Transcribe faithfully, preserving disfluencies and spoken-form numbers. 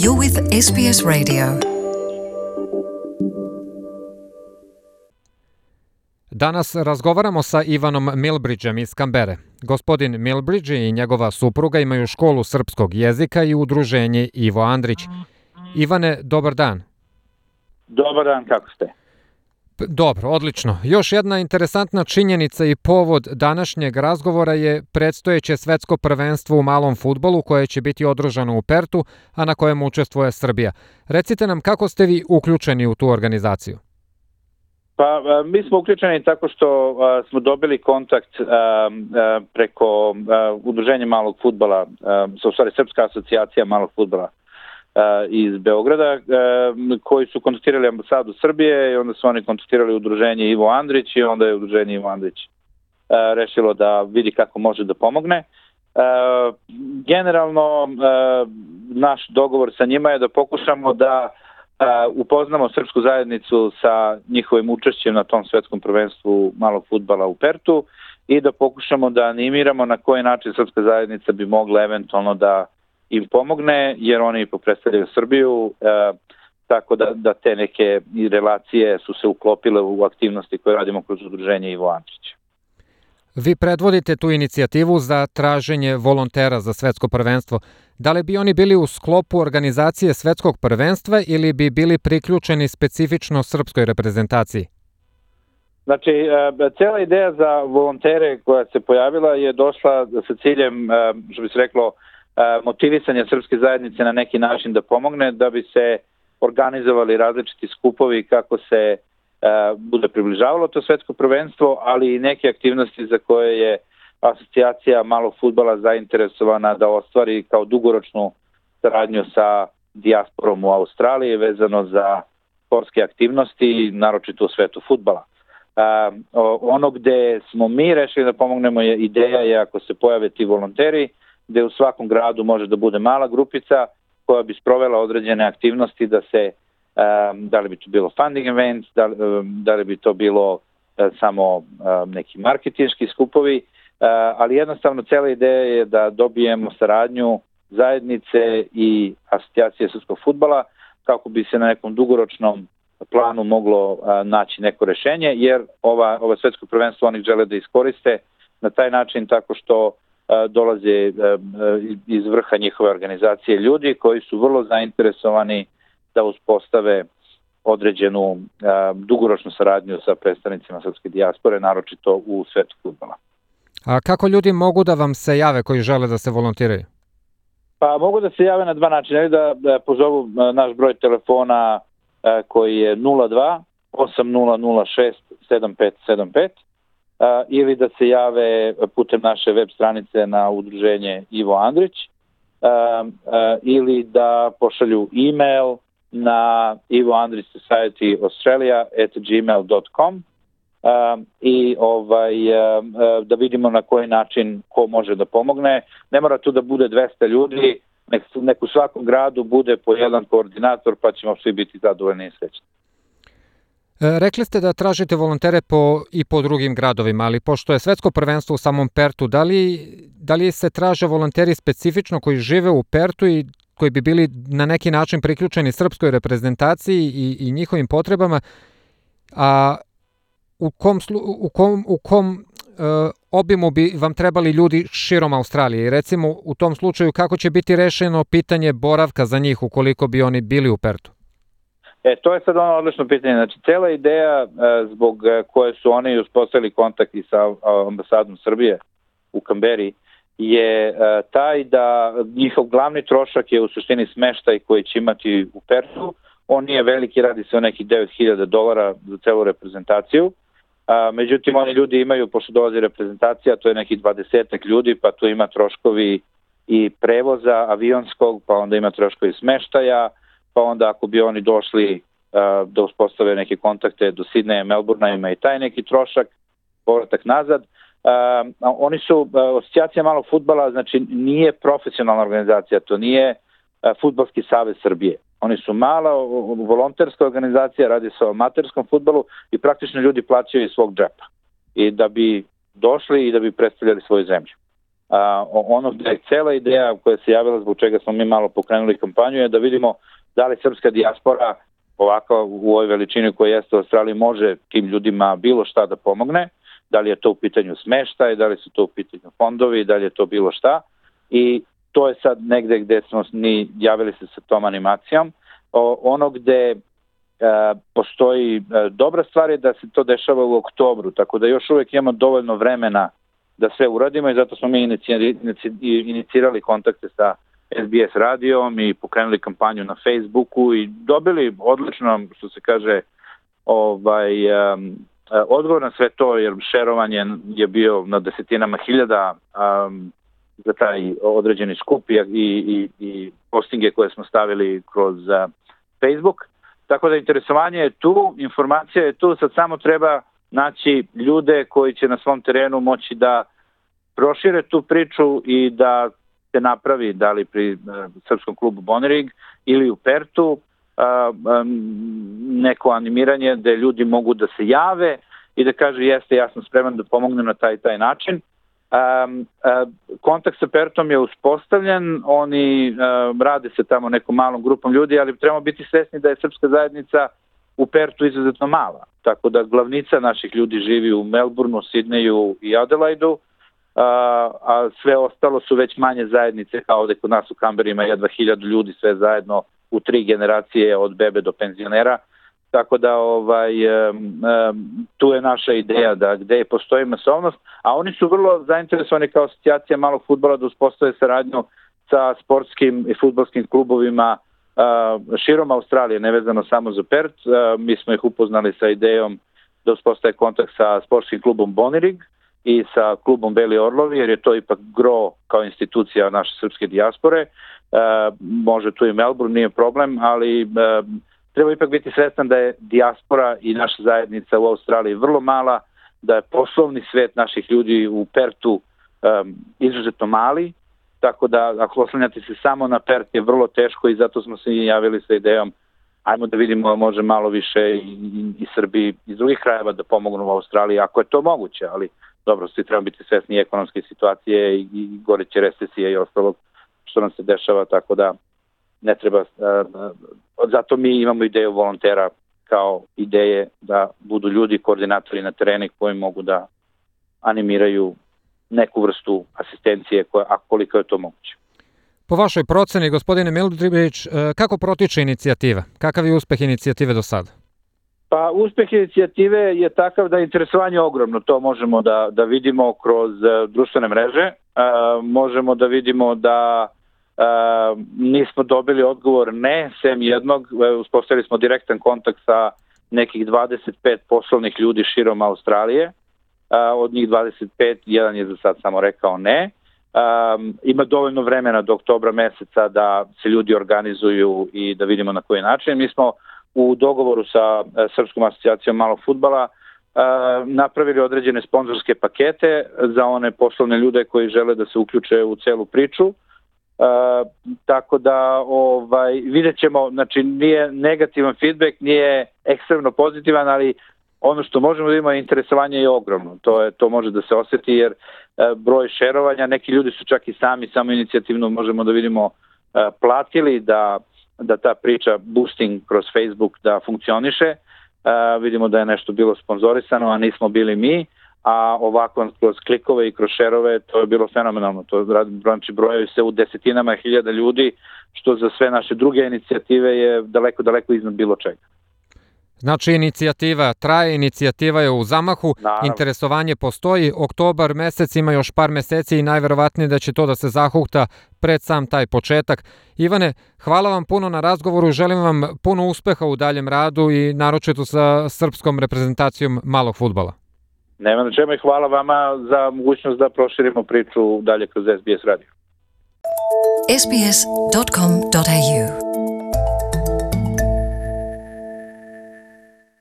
You're with S B S Radio. Danas razgovaramo sa Ivanom Milbridgem iz Kambere. Gospodin Milbridge i njegova supruga imaju školu srpskog jezika i udruženje Ivo Andrić. Ivane, dobar dan. Dobar dan, kako ste? Dobro, odlično. Još jedna interesantna činjenica i povod današnjeg razgovora je predstojeće svetsko prvenstvo u malom fudbalu koje će biti održano u Pertu, a na kojem učestvuje Srbija. Recite nam kako ste vi uključeni u tu organizaciju? Pa mi smo uključeni tako što a, smo dobili kontakt a, a, preko a, udruženja malog fudbala, u stvari Srpska asocijacija malog fudbala iz Beograda, koji su kontaktirali ambasadu Srbije i onda su oni kontaktirali udruženje Ivo Andrić i onda je udruženje Ivo Andrić rešilo da vidi kako može da pomogne. Generalno, naš dogovor sa njima je da pokušamo da upoznamo srpsku zajednicu sa njihovim učešćem na tom svetskom prvenstvu malog fudbala u Pertu i da pokušamo da animiramo na koji način srpska zajednica bi mogla eventualno da im pomogne, jer oni predstavljaju Srbiju, e, tako da, da te neke relacije su se uklopile u aktivnosti koje radimo kroz udruženje Ivo Andrić. Vi predvodite tu inicijativu za traženje volontera za svetsko prvenstvo. Da li bi oni bili u sklopu organizacije svetskog prvenstva ili bi bili priključeni specifično srpskoj reprezentaciji? Znači, e, cela ideja za volontere koja se pojavila je došla sa ciljem, e, što bi se reklo, motivisanje srpske zajednice na neki način da pomogne, da bi se organizovali različiti skupovi kako se uh, bude približavalo to svetsko prvenstvo, ali i neke aktivnosti za koje je asocijacija malog fudbala zainteresovana da ostvari kao dugoročnu saradnju sa dijasporom u Australiji vezano za sportske aktivnosti, naročito u svetu fudbala. Uh, ono gde smo mi rešili da pomognemo je ideja je ako se pojave ti volonteri, gde u svakom gradu može da bude mala grupica koja bi sprovela određene aktivnosti da se, um, da li bi to bilo funding events, da, um, da li bi to bilo uh, samo um, neki marketinški skupovi, uh, ali jednostavno cela ideja je da dobijemo saradnju zajednice i asocijacije srpskog fudbala kako bi se na nekom dugoročnom planu moglo uh, naći neko rešenje, jer ova, ova svetsko prvenstvo oni žele da iskoriste na taj način tako što dolaze iz vrha njihove organizacije ljudi koji su vrlo zainteresovani da uspostave određenu dugoročnu saradnju sa predstavnicima srpske dijaspore, naročito u svetu fudbala. A kako ljudi mogu da vam se jave koji žele da se volontiraju? Pa mogu da se jave na dva načina, ili da, da pozovu naš broj telefona koji je nula dva osam nula nula šest sedam pet sedam pet, Uh, ili da se jave putem naše web stranice na udruženje Ivo Andrić, uh, uh, ili da pošalju e-mail na ivo andrić society australia at gmail dot com uh, i ovaj, uh, uh, da vidimo na koji način ko može da pomogne. Ne mora tu da bude dvesta ljudi, nek, nek u svakom gradu bude po jedan koordinator pa ćemo svi biti zadovoljni i srećni. Rekli ste da tražite volontere po, i po drugim gradovima, ali pošto je svetsko prvenstvo u samom Pertu, da li, da li se traže volonteri specifično koji žive u Pertu i koji bi bili na neki način priključeni srpskoj reprezentaciji i, i njihovim potrebama, a u kom, u kom, u kom uh, obimu bi vam trebali ljudi širom Australije? I recimo u tom slučaju kako će biti rešeno pitanje boravka za njih ukoliko bi oni bili u Pertu? E, to je sad ono odlično pitanje. Znači, cela ideja e, zbog koje su oni uspostavili kontakt i sa ambasadom Srbije u Kamberi je e, taj da njihov glavni trošak je u suštini smeštaj koji će imati u Pertu. On nije veliki, radi se o nekih devet hiljada dolara za celu reprezentaciju. A, međutim, oni ljudi imaju, pošto dolazi reprezentacija, to je nekih dvadesetak ljudi, pa tu ima troškovi i prevoza avionskog, pa onda ima troškovi smeštaja, pa onda ako bi oni došli uh, da uspostave neke kontakte do Sidneja, Melbourna, ima i taj neki trošak, povratak nazad. Uh, oni su, uh, asocijacija malog fudbala, znači nije profesionalna organizacija, to nije uh, Fudbalski savez Srbije. Oni su mala volonterska organizacija, radi se o amaterskom fudbalu i praktično ljudi plaćaju iz svog džepa i da bi došli i da bi predstavljali svoju zemlju. A, ono gde je cela ideja koja se javila, zbog čega smo mi malo pokrenuli kampanju, je da vidimo da li srpska dijaspora ovako u ovoj veličini koja jeste u Australiji može tim ljudima bilo šta da pomogne, da li je to u pitanju smeštaj, da li su to u pitanju fondovi, da li je to bilo šta, i to je sad negde gde smo ni javili se sa tom animacijom. O, ono gde e, postoji e, dobra stvar je da se to dešava u oktobru, tako da još uvek imamo dovoljno vremena da sve uradimo, i zato smo mi inicirali kontakte sa S B S radijom i pokrenuli kampanju na Facebooku i dobili odlično, što se kaže, ovaj, um, odgovor na sve to, jer šerovanje je bio na desetinama hiljada um, za taj određeni skup i, i, i postinge koje smo stavili kroz uh, Facebook. Tako da interesovanje je tu, informacija je tu, sad samo treba naći ljude koji će na svom terenu moći da prošire tu priču i da se napravi, da li pri uh, srpskom klubu Bonirig ili u Pertu, uh, um, neko animiranje gde ljudi mogu da se jave i da kaže jeste, ja sam spreman da pomognem na taj taj način. Um, uh, kontakt sa Pertom je uspostavljen, oni uh, rade se tamo nekom malom grupom ljudi, ali trebamo biti svesni da je srpska zajednica u Pertu izuzetno mala, tako da glavnica naših ljudi živi u Melbourneu, Sidneju i Adelaidu, Uh, a sve ostalo su već manje zajednice, kao ovde kod nas u Kamberi ima jedva hiljadu ljudi, sve zajedno u tri generacije od bebe do penzionera, tako da ovaj, um, um, tu je naša ideja da gde postoji masovnost, a oni su vrlo zainteresovani kao asocijacija malog fudbala da uspostave saradnju sa sportskim i fudbalskim klubovima uh, širom Australije, nevezano samo za Pert. Uh, mi smo ih upoznali sa idejom da uspostave kontakt sa sportskim klubom Bonirig i sa klubom Beli Orlovi, jer je to ipak gro kao institucija naše srpske dijaspore. E, može tu i Melbourne, nije problem, ali e, treba ipak biti svestan da je dijaspora i naša zajednica u Australiji vrlo mala, da je poslovni svet naših ljudi u Pertu e, izuzetno mali, tako da ako oslanjate se samo na Pert je vrlo teško, i zato smo se javili sa idejom ajmo da vidimo može malo više i, i, i Srbi iz drugih krajeva da pomognu u Australiji, ako je to moguće, ali dobro, svi trebamo biti svesni ekonomske situacije i, i goreće recesije i ostalog što nam se dešava, tako da ne treba, uh, zato mi imamo ideju volontera kao ideje da budu ljudi, koordinatori na tereni koji mogu da animiraju neku vrstu asistencije, koja, a koliko je to moguće. Po vašoj proceni, gospodine Mildribić, kako protiče inicijativa? Kakav je uspeh inicijative do sada? Pa uspeh inicijative je takav da je interesovanje ogromno, to možemo da, da vidimo kroz uh, društvene mreže, uh, možemo da vidimo da uh, nismo dobili odgovor ne, sem jednog, uh, uspostavili smo direktan kontakt sa nekih dvadeset pet poslovnih ljudi širom Australije, uh, od njih dvadeset pet, jedan je za sad samo rekao ne. Um, ima dovoljno vremena do oktobra meseca da se ljudi organizuju i da vidimo na koji način. Mi smo u dogovoru sa uh, Srpskom asocijacijom malog fudbala uh, napravili određene sponzorske pakete za one poslovne ljude koji žele da se uključe u celu priču. Uh, tako da ovaj, vidjet ćemo, znači nije negativan feedback, nije ekstremno pozitivan, ali ono što možemo da imamo interesovanje je ogromno. To, je, to može da se osjeti jer e, broj šerovanja, neki ljudi su čak i sami, samo inicijativno možemo da vidimo e, platili da, da ta priča boosting kroz Facebook da funkcioniše. E, vidimo da je nešto bilo sponzorisano, a nismo bili mi, a ovako kroz klikove i kroz šerove to je bilo fenomenalno. To znači brojevi se u desetinama hiljada ljudi, što za sve naše druge inicijative je daleko, daleko iznad bilo čega. Znači inicijativa traje, inicijativa je u zamahu, Naravno. Interesovanje postoji, oktobar mesec ima još par meseci i najverovatnije da će to da se zahukta pred sam taj početak. Ivane, hvala vam puno na razgovoru, želim vam puno uspeha u daljem radu i naročito sa srpskom reprezentacijom malog fudbala. Nema na čemu i hvala vama za mogućnost da proširimo priču dalje kroz S B S radio. S B S dot com dot A U